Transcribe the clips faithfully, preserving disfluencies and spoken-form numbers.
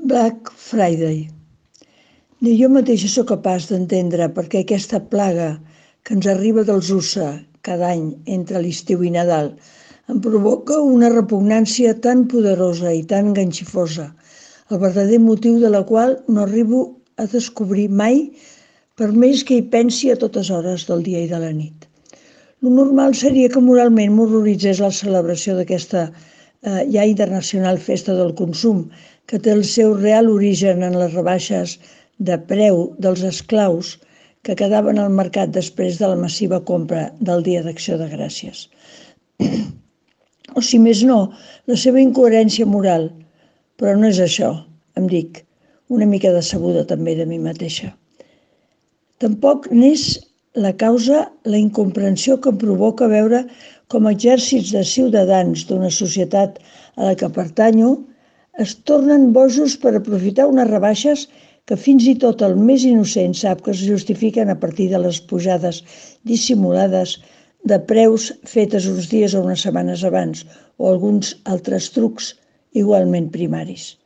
Black Friday. Ni jo mateixa sóc capaç d'entendre per què aquesta plaga que ens arriba dels U S A cada any entre l'estiu i Nadal em provoca una repugnància tan poderosa i tan enganxifosa, el verdader motiu de la qual no arribo a descobrir mai, per més que hi pensi a totes hores del dia i de la nit. Lo normal seria que moralment m'horroritzés la celebració d'aquesta eh, ja internacional festa del consum, que té el seu real origen en les rebaixes de preu dels esclaus que quedaven al mercat després de la massiva compra del Dia d'Acció de Gràcies. O si més no, la seva incoherència moral. Però no és això, em dic, una mica decebuda també de mi mateixa. Tampoc n'és la causa la incomprensió que em provoca veure com exèrcits de ciutadans d'una societat a la que pertanyo es tornen bojos per aprofitar unes rebaixes que fins i tot el més innocent sap que es justifiquen a partir de les pujades dissimulades de preus fetes uns dies o unes setmanes abans o alguns altres trucs igualment primaris.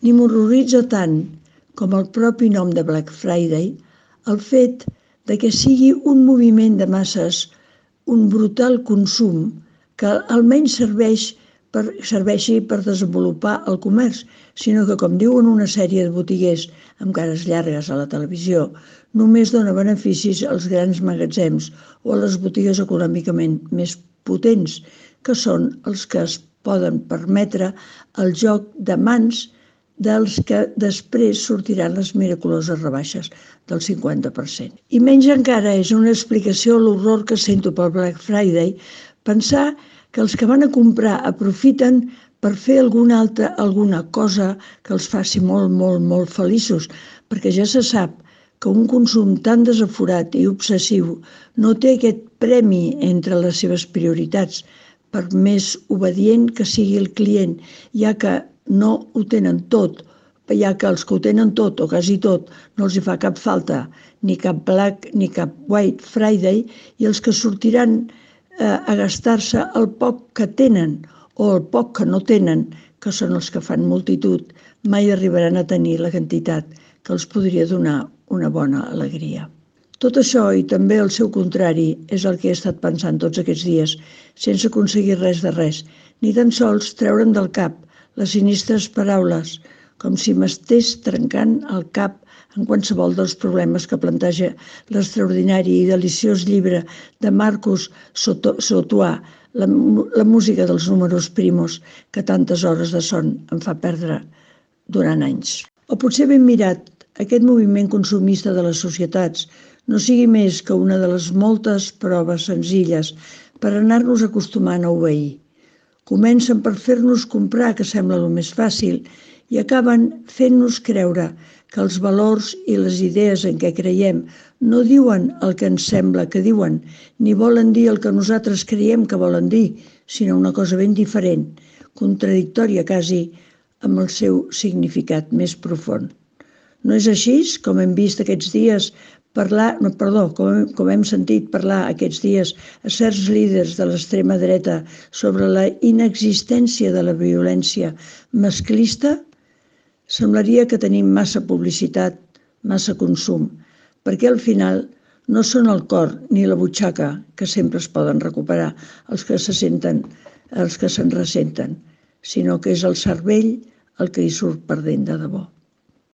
Ni m'horroritza tant com el propi nom de Black Friday el fet de que sigui un moviment de masses, un brutal consum que almenys serveix per, serveixi per desenvolupar el comerç, sinó que, com diuen una sèrie de botiguers amb cares llargues a la televisió, només dona beneficis als grans magatzems o a les botigues econòmicament més potents, que són els que es poden permetre el joc de mans dels que després sortiran les miraculoses rebaixes del cinquanta per cent. I menys encara és una explicació a l'horror que sento pel Black Friday pensar que els que van a comprar aprofiten per fer alguna altra, alguna cosa que els faci molt, molt, molt feliços, perquè ja se sap que un consum tan desaforat i obsessiu no té aquest premi entre les seves prioritats, per més obedient que sigui el client, ja que no ho tenen tot, ja que els que ho tenen tot o quasi tot no els hi fa cap falta, ni cap Black ni cap White Friday, i els que sortiran eh, a gastar-se el poc que tenen o el poc que no tenen, que són els que fan multitud, mai arribaran a tenir la quantitat que els podria donar una bona alegria. Tot això i també el seu contrari és el que he estat pensant tots aquests dies, sense aconseguir res de res, ni tan sols treure'm del cap les sinistres paraules, com si m'estés trencant el cap en qualsevol dels problemes que planteja l'extraordinari i deliciós llibre de Marcus Sautois, la, la música dels números primos, que tantes hores de son em fa perdre durant anys. O potser ben mirat, aquest moviment consumista de les societats no sigui més que una de les moltes proves senzilles per anar-nos acostumant a obeir. Comencen per fer-nos comprar, que sembla el més fàcil, i acaben fent-nos creure que els valors i les idees en què creiem no diuen el que ens sembla que diuen, ni volen dir el que nosaltres creiem que volen dir, sinó una cosa ben diferent, contradictòria quasi amb el seu significat més profund. No és així com hem vist aquests dies parlar, no, perdó, com, com hem sentit parlar aquests dies a certs líders de l'extrema dreta sobre la inexistència de la violència masclista? Semblaria que tenim massa publicitat, massa consum, perquè al final no són el cor ni la butxaca que sempre es poden recuperar els que se senten, els que se'n ressenten, sinó que és el cervell el que hi surt perdent de debò.